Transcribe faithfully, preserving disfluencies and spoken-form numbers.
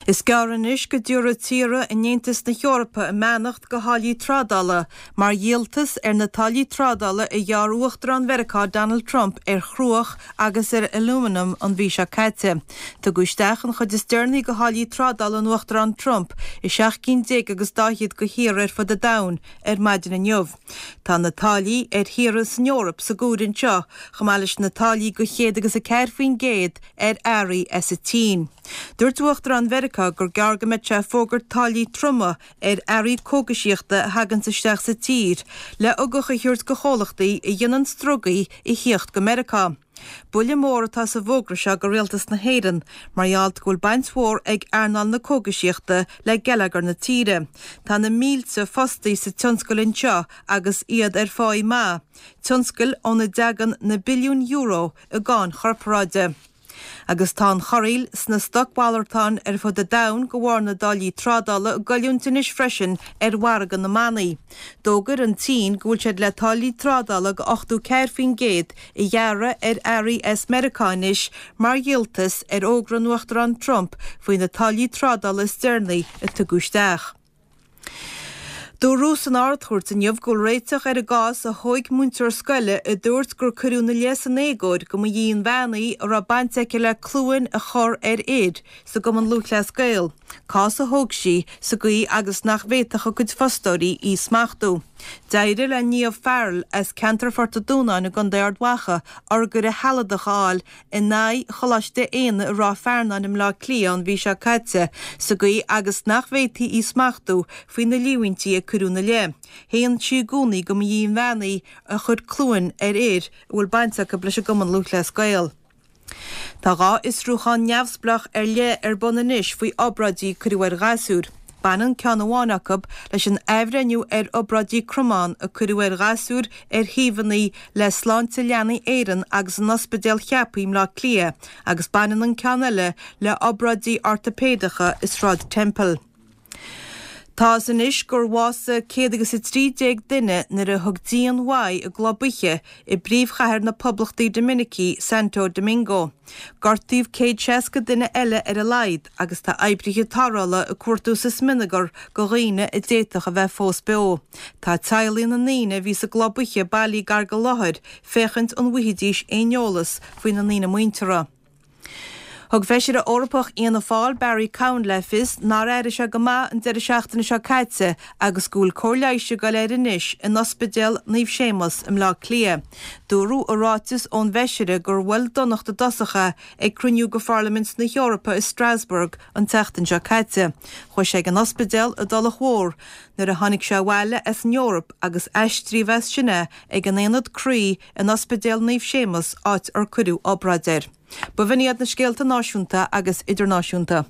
Is gearr anois go dtabharfaidh tíortha in Aontas na hEorpa a mbeannacht go tháillí trádála mar dhíoltas ar na táillí trádála a ghearr Uachtarán Mheiriceá Donald Trump ar chruach agus ar alúmanam an mhí seo caite. Tugadh isteach an chuid is deireanaí de tháillí trádála an Uachtaráin Trump i seacht gcinn déag agus daichead de thíortha ar fud an domhain ar maidin inniu. Tá na táillí ar thíortha san Eoraip sa gcomhaireamh anseo chomh maith leis na táillí de chéad agus a ceathair faoin gcéad ar earraí as an tSín. Dúirt Uachtarán Mheiriceá gur gearr go mbeidh sé ag fógairt táillí troma ar earraí cógaisíochta a thagann isteach sa tír le ugach a thabhairt do chomhlachtaí a dhéanann drugaí a thíocht go Meiriceá. Buille mór atá sa bhfógra seo go rialtas na hÉireann, mar gheall go bhfuil baint mhór ag earnáil na cógaisíochta le geilleagar na tíre. Tá na mílte fostaí sa tionscal anseo agus iad ar pháí maith, tionscal óna dtagann na billiúin euro i gcáin chorparáide. Agus tá an chorraíl sna stocmhalartáin ar fud an domhain de bharr na dtáillí trádála ag goilliúint anois freisin ar mhargadh na mbannaí. D'fhógair an tSín go bhfuil siad le táillí trádála de ochtó ceathair faoin gcéad a ghearradh ar earraí as Meiriceá anois mar dhíoltas ar fhógra an Uachtaráin Trump faoi na táillí trádála is deireanaí a tugadh isteach. Dúradh san Ard-Chúirt inniu go bhfuil réiteach ar an gcás a thóg múinteoir scoile a dúirt gur cuireadh ina leith san éagóir go mba í an bhean í a raibh baint aici le cluain a chur ar fhir sa gCumann Lúthchleas Gael, cás a thóg sí sa gcaoi agus nach bhféadfadh a cuid fostóirí í smachtú. D'éirigh le Niamh Farrell as ceantar Phort an Dúnáin i gContae Ard Mhacha urghaire shealadach a fháil in aghaidh Choláiste Éanna i Ráth Fearnáin i mBleá Cliath an mhí seo caite sa gcaoi agus nach bhféadfaí í smachtú faoi na líomhaintí a cuireadh ina leith. Shéan sí i gcónaí go mba í an bhean í a chuir cluain ar fhir a bhfuil baint acu leis an gCumann Lúthchleas Gael. Tá dhá fhiosrúchán neamhspleách ar leith ar bun anois faoi obráidí a cuireadh ar ghasúir. Baineann ceann amháin acu leis an athbhreithniú ar obráidí cromán a cuireadh ar ghasúir ar thaobhanna le Sláinte Leanaí Éireann agus an Ospidéal Cheapaí i mBleá Cliath agus baineann an ceann eile le obráidí ortaipéideacha i Sráid Temple. Tá a fhios anois gur bhásaigh céad agus a trí déag duine nuair a thug díon uaidh i gclub oíche i bpríomhchathair na Poblachta Doiminicí, Santo Domingo. Gortaíodh céad seasca duine eile ar a laghad agus tá oibrithe tarrthála ag cuartú sa smionagar do dhaoine a d'fhéadfadh a bheith fós beo. Tá teaghlaigh na ndaoine a bhí sa gclub oíche bailithe gar don láthair féachaint an bhfaighidís aon eolas faoi na ndaoine muinteartha. Thug Feisire Eorpach Fhianna Fáil Barry Cowen le fios nár éirigh sé go maith an deireadh seachtaine seo caite agus go bhfuil cóir leighis ag dul air anois in Ospidéal Naomh Séamus i mBleá Cliath. Dúradh i ráiteas ón bhfeisire gur bhuail donacht i dtosach é ag cruinniú de Pharlaimint na hEorpa i Strasbourg an tseachtain seo caite. Chuaigh sé ag an ospidéal i dTulach Mhór nuair a tháinig sé abhaile as an Eoraip agus aistríodh as sin é ag an Aonad Croí in Ospidéal Naomh Séamus áit ar cuireadh obráid air. B'in iad na scéalta náisiúnta agus idirnáisiúnta.